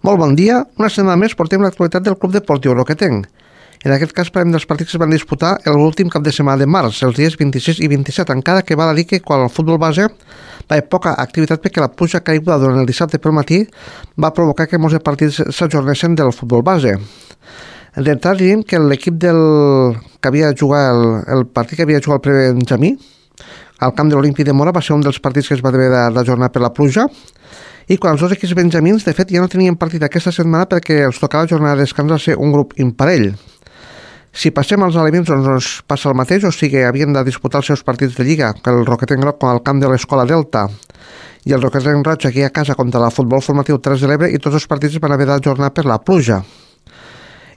Molt bon dia. Una setmana més portem l'actualitat del Club Deportiu Roquetenc. En aquest cas parlem dels partits que es van disputar l'últim cap de setmana de març, els dies 26 i 27, encara que val a dir que quan el futbol base va haver poca activitat perquè la pluja caiguda durant el dissabte pel matí va provocar que molts partits s'ajornessin del futbol base. D'entrada diríem que l'equip que havia jugat el partit que havia jugat el Prebenjamí al camp de l'Olímpic de Mora va ser un dels partits que es va haver d'ajornar per la pluja, i quan els dos equips benjamins, de fet, ja no tenien partit aquesta setmana perquè els tocava jornada de descans a ser un grup imparell. Si passem als elements, doncs passa el mateix, o sigui, havien de disputar els seus partits de Lliga, que el Roquetenc Groc al camp de l'Escola Delta i el Roquetenc Roig aquí a casa contra el Futbol Formatiu Terres de l'Ebre, i tots els partits van haver d'ajornar per la pluja.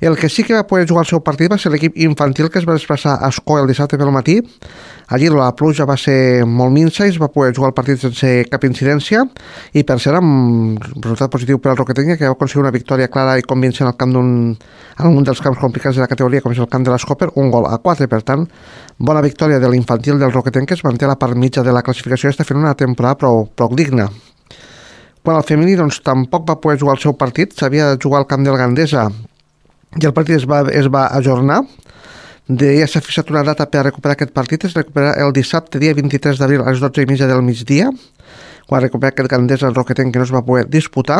El que sí que va poder jugar el seu partit va ser l'equip infantil, que es va desplaçar a Escó el dissabte pel matí. Allí la pluja va ser molt minsa i es va poder jugar el partit sense cap incidència, i per ser amb resultat positiu per al Roquetenc, que va aconseguir una victòria clara i convincent al camp en un dels camps complicats de la categoria, com és el camp de l'Escó, per 1-4. Per tant, bona victòria de l'infantil del Roquetenc, que es manté a la part mitja de la classificació i està fent una temporada prou digna. Quan el femení doncs, tampoc va poder jugar el seu partit, s'havia de jugar al camp del Gandesa i el partit es va ajornar. Ja s'ha fixat una data per a recuperar aquest partit, es recuperarà el dissabte, dia 23 d'abril, a les 12:30 del migdia, quan recuperar aquest Gandesa el Roquetenc, que no es va poder disputar.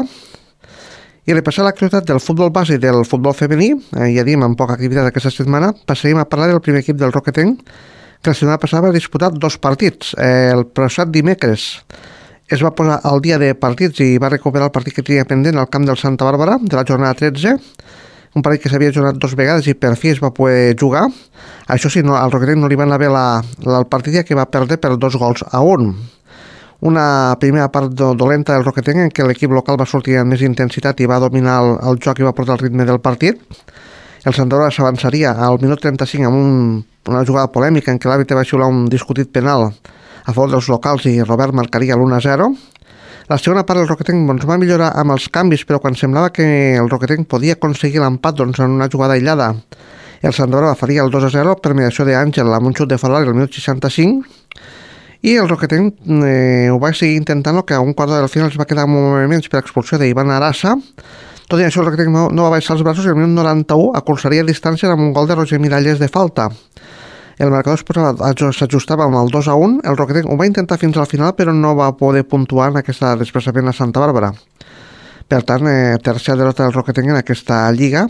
I repassar l'activitat del futbol base i del futbol femení, ja diem, amb poca activitat aquesta setmana, passaríem a parlar del primer equip del Roquetenc, que la setmana passada va disputar 2 partits. El passat dimecres es va posar al dia de partits i va recuperar el partit que tenia pendent al camp del Santa Bàrbara, de la jornada 13, un partit que s'havia jornat 2 vegades i per fi es va poder jugar. Això sí, al Roquetenc no li van anar bé el partit, que va perdre per 2-1. Una primera part dolenta del Roquetenc, en què l'equip local va sortir amb més intensitat i va dominar el joc i va portar el ritme del partit. El Santa Bàrbara s'avançaria al minut 35 amb una jugada polèmica en què l'àrbitre va xiular un discutit penal a favor dels locals i Robert marcaria l'1-0. La segona part del Roquetenc va millorar amb els canvis, però quan semblava que el Roquetenc podia aconseguir l'empat en una jugada aïllada, el Santa Bàrbara faria el 2-0 per mediació d'Àngel amb un xut de fora al minut 65, i el Roquetenc ho va seguir intentant, que a un quart d'hora del final es va quedar amb moviments per expulsió d'Ivan Arassa. Tot i això, el Roquetenc no va baixar els braços i al minut 91 acurçaria distància amb un gol de Roger Miralles de falta. El marcador s'ajustava amb el 2-1, el Roquetenc ho va intentar fins al final, però no va poder puntuar en aquesta desplaçament a Santa Bàrbara. Per tant, tercera derrota del Roquetenc en aquesta lliga,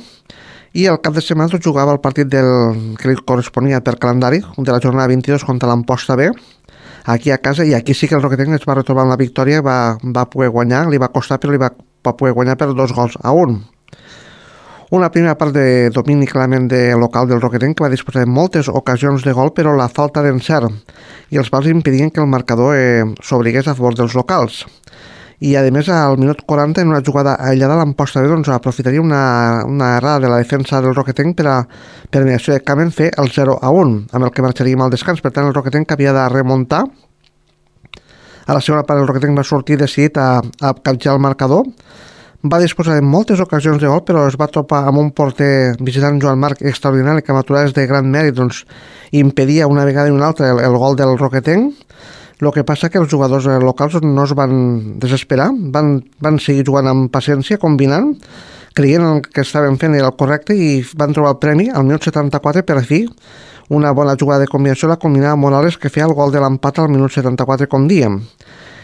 i el cap de setmana jugava el partit que li corresponia per calendari, de la jornada 22 contra l'Amposta B, aquí a casa, i aquí sí que el Roquetenc es va retrobar amb la victòria, va poder guanyar, li va costar, però li va poder guanyar per 2-1. Una primera part de domini clarament local del Roquetenc, que va disposar de moltes ocasions de gol, però la falta d'encert i els pals impedien que el marcador s'obligués a favor dels locals. I a més, al minut 40, en una jugada aïllada, l'Amposta B aprofitaria una errada de la defensa del Roquetenc per mediació de Camen fer el 0-1, amb el que marxaríem al descans. Per tant, el Roquetenc havia de remuntar. A la segona part, el Roquetenc va sortir decidit a capgirar el marcador. Va disposar de moltes ocasions de gol, però es va topar amb un porter visitant, Joan Marc, extraordinari, que amb aturades de gran mèrit impedia una vegada i una altra el gol del Roquetenc. El que passa que els jugadors locals no es van desesperar, van seguir jugant amb paciència, combinant, creient que estaven fent el correcte, i van trobar el premi al minut 74 per fi. Una bona jugada de combinació la combinava Morales, que feia el gol de l'empat al minut 74, com dèiem.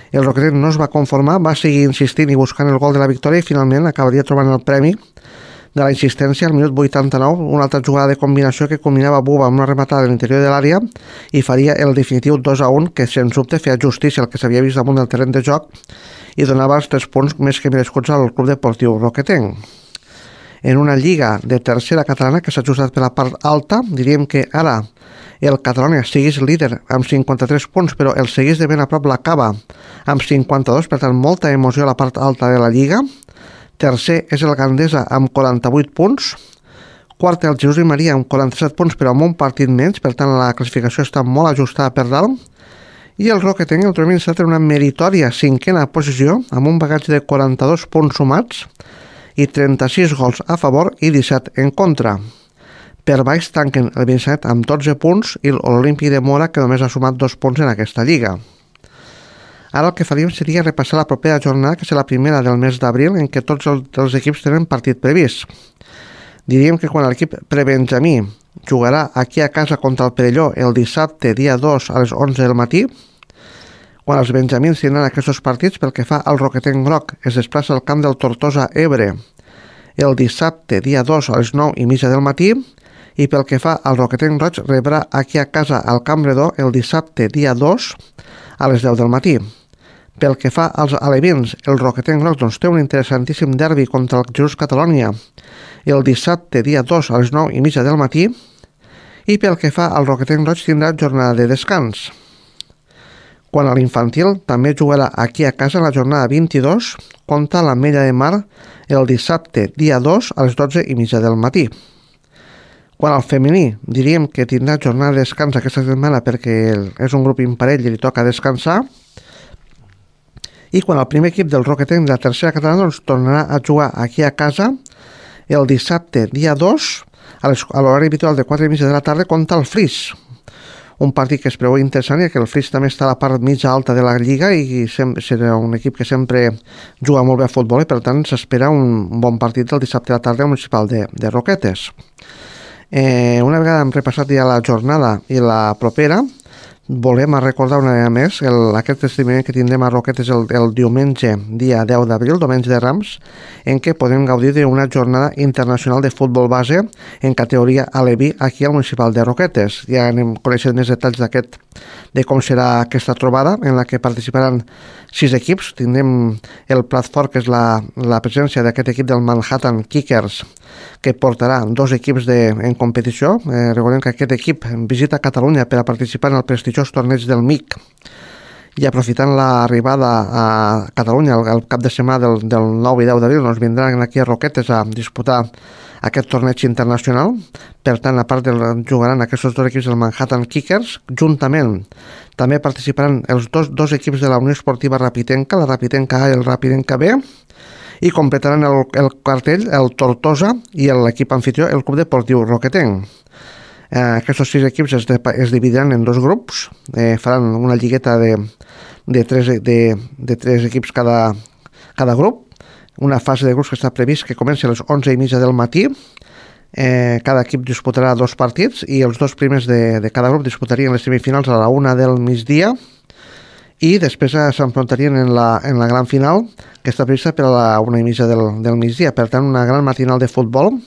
El Roquetenc no es va conformar, va seguir insistint i buscant el gol de la victòria, i finalment acabaria trobant el premi de la insistència al minut 89, una altra jugada de combinació que combinava Buba amb una rematada a l'interior de l'àrea i faria el definitiu 2-1, que sens dubte feia justícia al que s'havia vist damunt del terreny de joc i donava els 3 punts més que merescuts al Club Deportiu Roquetenc. En una lliga de tercera catalana que s'ha ajustat per la part alta, diríem que ara el Catalonia segueix líder amb 53 punts, però el segueix de ben a prop l'Acaba amb 52, per tant molta emoció a la part alta de la lliga. Tercer és el Gandesa amb 48 punts, quart el Jesús i Maria amb 47 punts, però amb un partit menys, per tant la classificació està molt ajustada per dalt, i el Roquetenc el trobem instal·lat en una meritòria 5a posició amb un bagatge de 42 punts sumats i 36 gols a favor i 17 en contra. Per baix tanquen el Benissanet amb 12 punts i l'Olímpic de Mora, que només ha sumat 2 punts en aquesta lliga. Ara el que faríem seria repassar la propera jornada, que serà la primera del mes d'abril, en què tots els equips tenen partit previst. Diríem que quan l'equip prebenjamí jugarà aquí a casa contra el Perelló el dissabte, dia 2, a les 11 del matí, quan els benjamins tindran aquests partits, pel que fa al Roquetenc Groc, es desplaça al camp del Tortosa Ebre el dissabte, dia 2, a les 9:30 del matí, i pel que fa al Roquetenc Roig, rebrà aquí a casa al Camp Redó el dissabte, dia 2, a les 10 del matí. Pel que fa als alevins, el Roquetenc Groc té un interessantíssim derbi contra el Jesús Catalònia el dissabte, dia 2, a les 9:30 del matí, i pel que fa al Roquetenc Roig tindrà jornada de descans. Quan a l'infantil també jugarà aquí a casa la jornada 22 contra l'Ametlla de Mar el dissabte, dia 2, a les 12:30 del matí. Quan al femení diríem que tindrà jornada de descans aquesta setmana perquè és un grup imparell i li toca descansar, i quan el primer equip del Roquetenc de la tercera catalana tornarà a jugar aquí a casa el dissabte, dia 2, a l'horari habitual de 4:30 de la tarda contra el Flix. Un partit que es preveu interessant, i que el Flix també està a la part mitja alta de la Lliga i serà un equip que sempre juga molt bé a futbol, i per tant s'espera un bon partit el dissabte a la tarda al Municipal de Roquetes. Una vegada hem repassat ja la jornada i la propera, volem recordar una vegada més aquest esdeveniment que tindrem a Roquetes el diumenge, dia 10 d'abril, diumenge de Rams, en què podem gaudir d'una jornada internacional de futbol base en categoria aleví aquí al Municipal de Roquetes. Ja anem coneixent més detalls de com serà aquesta trobada, en la que participaran 6 equips. Tindrem el plat fort, que és la presència d'aquest equip del Manhattan Kickers, que portarà 2 equips en competició. Recordem que aquest equip visita Catalunya per a participar en el prestigiós torneig del MIC, i aprofitant l'arribada a Catalunya el cap de setmana del 9 i 10 d'abril vindran aquí a Roquetes a disputar aquest torneig internacional. Per tant, a part jugaran aquests 2 equips del Manhattan Kickers, juntament també participaran els dos equips de la Unió Esportiva Rapitenca, la Rapitenca A i el Rapitenca B, i completaran el cartell el Tortosa i l'equip anfitrió, el Club Deportiu Roquetenc. Aquests 6 equips es dividiran en 2 grups, faran una lligueta de 3 equips cada grup, una fase de grups que està previst que comenci a les 11:30 del matí. Cada equip disputarà 2 partits i els 2 primers de cada grup disputarien les semifinals a la 1 del migdia, i després s'enfrontarien en la gran final, que està prevista per a la 1:30 del migdia. Per tant, una gran matinal de futbol.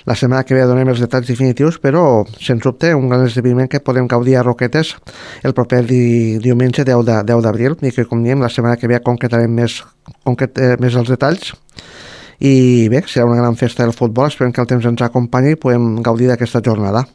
La setmana que ve donem els detalls definitius, però sens dubte un gran esdeveniment que podem gaudir a Roquetes el proper diumenge 10 d'abril, i que, com diem, la setmana que ve concretarem més els detalls. I bé, serà una gran festa del futbol. Esperem que el temps ens acompanyi i podem gaudir d'aquesta jornada.